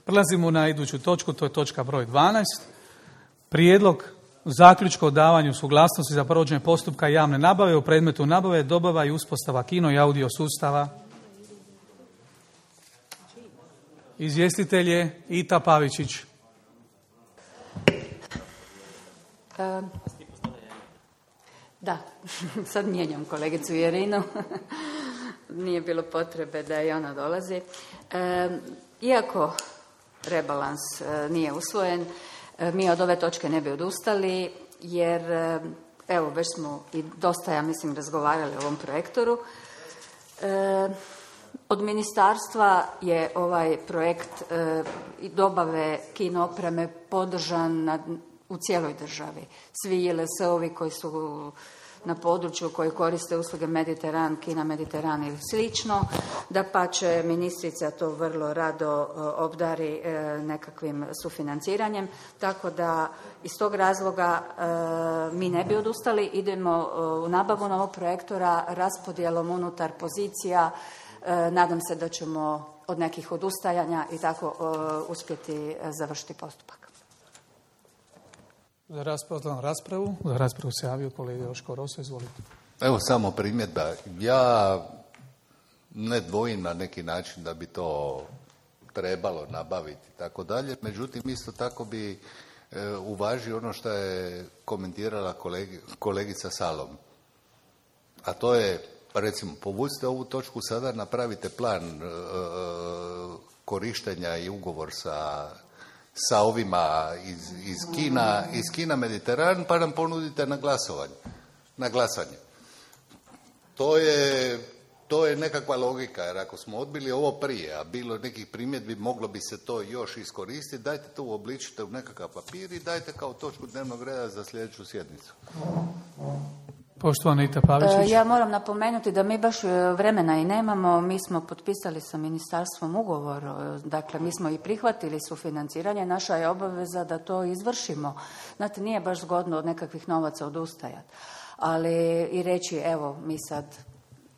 Prelazimo na iduću točku, to je točka broj 12. Prijedlog zaključka o davanju suglasnosti za provođenje postupka javne nabave u predmetu nabave, dobava i uspostava kino i audio sustava. Izvjestitelj je Ita Pavičić. Da, sad mijenjam kolegicu Jerinu. Nije bilo potrebe da i ona dolazi. Iako rebalans nije usvojen, mi od ove točke ne bi odustali, jer evo već smo i dosta, ja mislim, razgovarali o ovom projektoru. Od ministarstva je ovaj projekt i dobave kino opreme podržan u cijeloj državi. Svi JLS-ovi koji su na području koji koriste usluge Mediteran, Kina Mediteran ili slično, dapače ministrica to vrlo rado obdari nekakvim sufinanciranjem, tako da iz tog razloga mi ne bi odustali, idemo u nabavu novog projektora raspodjelom unutar pozicija. Nadam se da ćemo od nekih odustajanja i tako uspjeti završiti postupak. Za raspravu se javio kolega Joško Rosa, izvolite. Evo samo primjedba. Ja ne dvojim na neki način da bi to trebalo nabaviti i tako dalje, međutim isto tako bi uvažio ono što je komentirala kolegica Salom. A to je, recimo, povucite ovu točku sada, napravite plan korištenja i ugovor sa ovima iz Kina Mediteran, pa nam ponudite na glasanje. To je nekakva logika, jer ako smo odbili ovo prije, a bilo nekih primjedbi, moglo bi se to još iskoristiti, dajte to uobličite u nekakav papir i dajte kao točku dnevnog reda za sljedeću sjednicu. Poštovana Ita Pavičić. Ja moram napomenuti da mi baš vremena i nemamo. Mi smo potpisali sa ministarstvom ugovor, dakle mi smo i prihvatili sufinanciranje, naša je obaveza da to izvršimo. Znate, nije baš zgodno od nekakvih novaca odustajati, ali i reći evo mi sad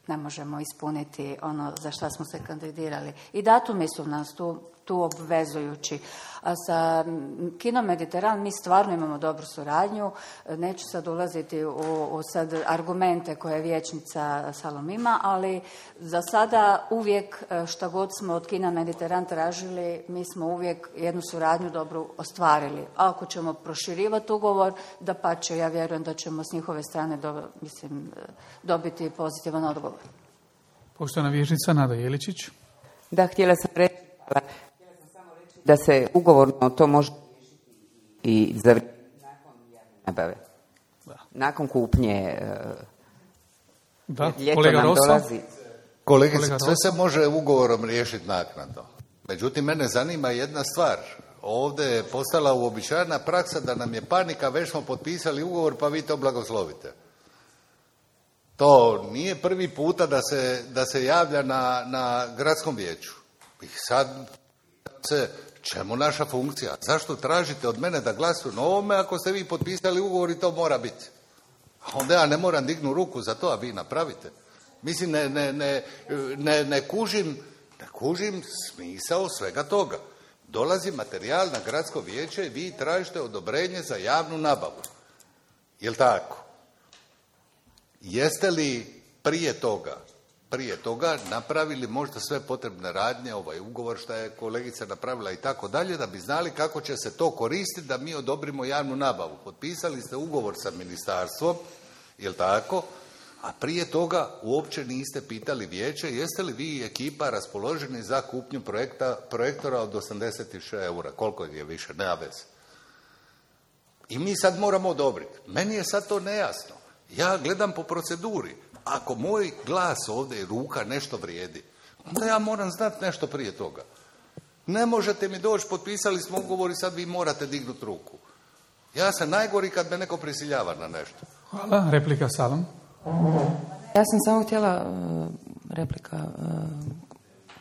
ne možemo ispuniti ono za šta smo se kandidirali. I datumi su nas tu obvezujući. A sa Kino Mediteran mi stvarno imamo dobru suradnju. Neću sad ulaziti u sad argumente koje vijećnica Salom ima, ali za sada uvijek šta god smo od Kina Mediteran tražili, mi smo uvijek jednu suradnju dobru ostvarili. A ako ćemo proširivati ugovor, dapače, ja vjerujem da ćemo s njihove strane dobiti pozitivan odgovor. Poštovana vijećnica Nada Jeličić. Da, htjela sam samo reći da se ugovorno to može i za nakon javne nabave. Nakon kupnje kolega Rosa. Kolegice, sve se može ugovorom riješiti naknadno. Međutim, mene zanima jedna stvar. Ovdje je postala uobičajena praksa da nam je panika, već smo potpisali ugovor pa vi to blagoslovite. To nije prvi puta da se javlja na gradskom vijeću. I sad čemu naša funkcija? Zašto tražite od mene da glasujem na ovome ako ste vi potpisali ugovor i to mora biti? A onda ja ne moram dignu ruku za to, a vi napravite. Mislim, ne kužim smisao svega toga. Dolazi materijal na gradsko vijeće i vi tražite odobrenje za javnu nabavu. Jel' tako? Jeste li prije toga napravili možda sve potrebne radnje, ovaj ugovor što je kolegica napravila i tako dalje, da bi znali kako će se to koristiti da mi odobrimo javnu nabavu? Potpisali ste ugovor sa ministarstvom, jel' tako? A prije toga uopće niste pitali vijeće jeste li vi i ekipa raspoloženi za kupnju projektora od 86 eura. Koliko je više, nema veze. I mi sad moramo odobriti. Meni je sad to nejasno. Ja gledam po proceduri. Ako moj glas ovdje i ruka nešto vrijedi, onda ja moram znati nešto prije toga. Ne možete mi doći, potpisali smo ugovor i sad vi morate dignuti ruku. Ja sam najgori kad me neko prisiljava na nešto. Hvala. Replika Salom. Ja sam samo htjela replika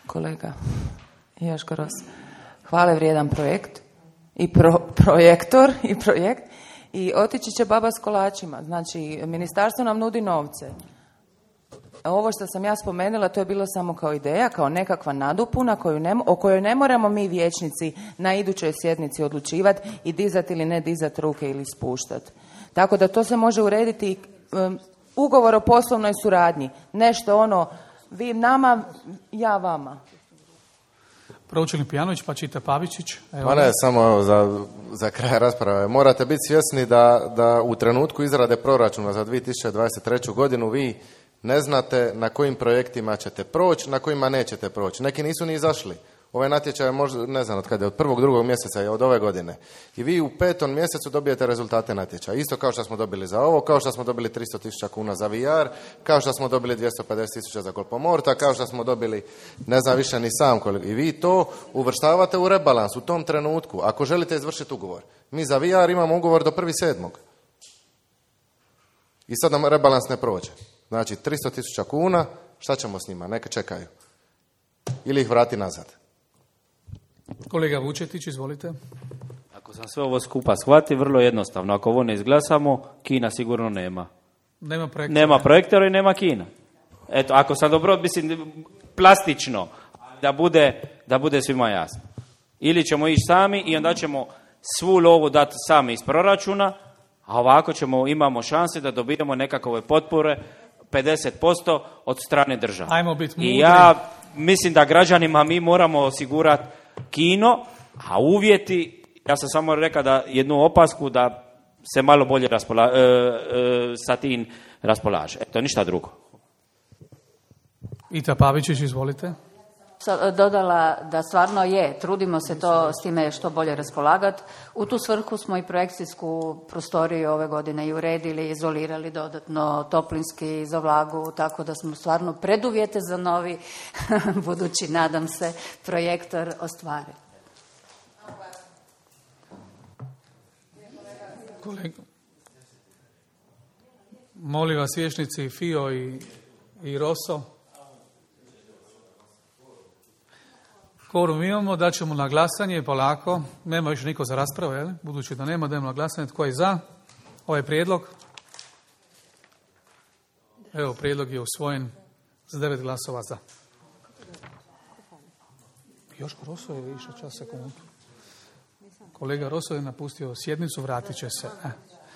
kolega Joško Ros. Hvale vrijedan projekt i projektor i projekt i otići će baba s kolačima. Znači, ministarstvo nam nudi novce. ovo što sam ja spomenula, to je bilo samo kao ideja, kao nekakva nadopuna o kojoj ne moramo mi vijećnici na idućoj sjednici odlučivati i dizati ili ne dizati ruke ili spuštati. Tako da to se može urediti ugovor o poslovnoj suradnji. Nešto ono, vi nama, ja vama. Pročelnik Pijanović, pa Čita Pavičić. Ma ne, samo za kraj rasprave. Morate biti svjesni da u trenutku izrade proračuna za 2023. godinu vi ne znate na kojim projektima ćete proći, na kojima nećete proći. Neki nisu ni izašli. Ovaj natječaj je možda, ne znam od kada je, od 1. 2. mjeseca je od ove godine. I vi u 5. mjesecu dobijete rezultate natječaja. Isto kao što smo dobili za ovo, kao što smo dobili 300.000 kuna za VR, kao što smo dobili 250.000 za Kolpomorta, kao što smo dobili, ne znam više ni sam koliko. I vi to uvrštavate u rebalans u tom trenutku, ako želite izvršiti ugovor. Mi za VR imamo ugovor do 1.7. I sad nam rebalans ne prođe. Znači 300.000 kuna, šta ćemo s njima? Neka čekaju. Ili ih vrati nazad. Kolega Vučetić, izvolite. Ako sam sve ovo skupa shvati, vrlo jednostavno. Ako ovo ne izglasamo, Kina sigurno nema. Nema projektora i nema Kina. Eto, ako sam dobro, mislim, plastično, da bude svima jasno. Ili ćemo ići sami i onda ćemo svu lovu dati sami iz proračuna, a ovako imamo šanse da dobijemo nekakve potpore 50% od strane države. Ajmo biti mudri. I ja mislim da građanima mi moramo osigurati kino, a uvjeti, ja sam samo rekao da jednu opasku da se malo bolje sa tim raspolaže. Eto, ništa drugo. Ita Pavičić, izvolite. Dodala da stvarno trudimo se to s time što bolje raspolagati. U tu svrhu smo i projekcijsku prostoriju ove godine i uredili, izolirali dodatno toplinski za vlagu, tako da smo stvarno preduvjete za novi, budući, nadam se, projektor ostvarili. Molim vas, vijećnici Fio i Roso. Kvorum imamo, daćemo na glasanje polako. Nema više niko za raspravu, jel? Budući da nema, dajemo na glasanje. Tko je za ovaj prijedlog? Evo, prijedlog je usvojen s 9 glasova za. Joško Roso je išao čas sekundu. Kolega Roso je napustio sjednicu, vratit će se.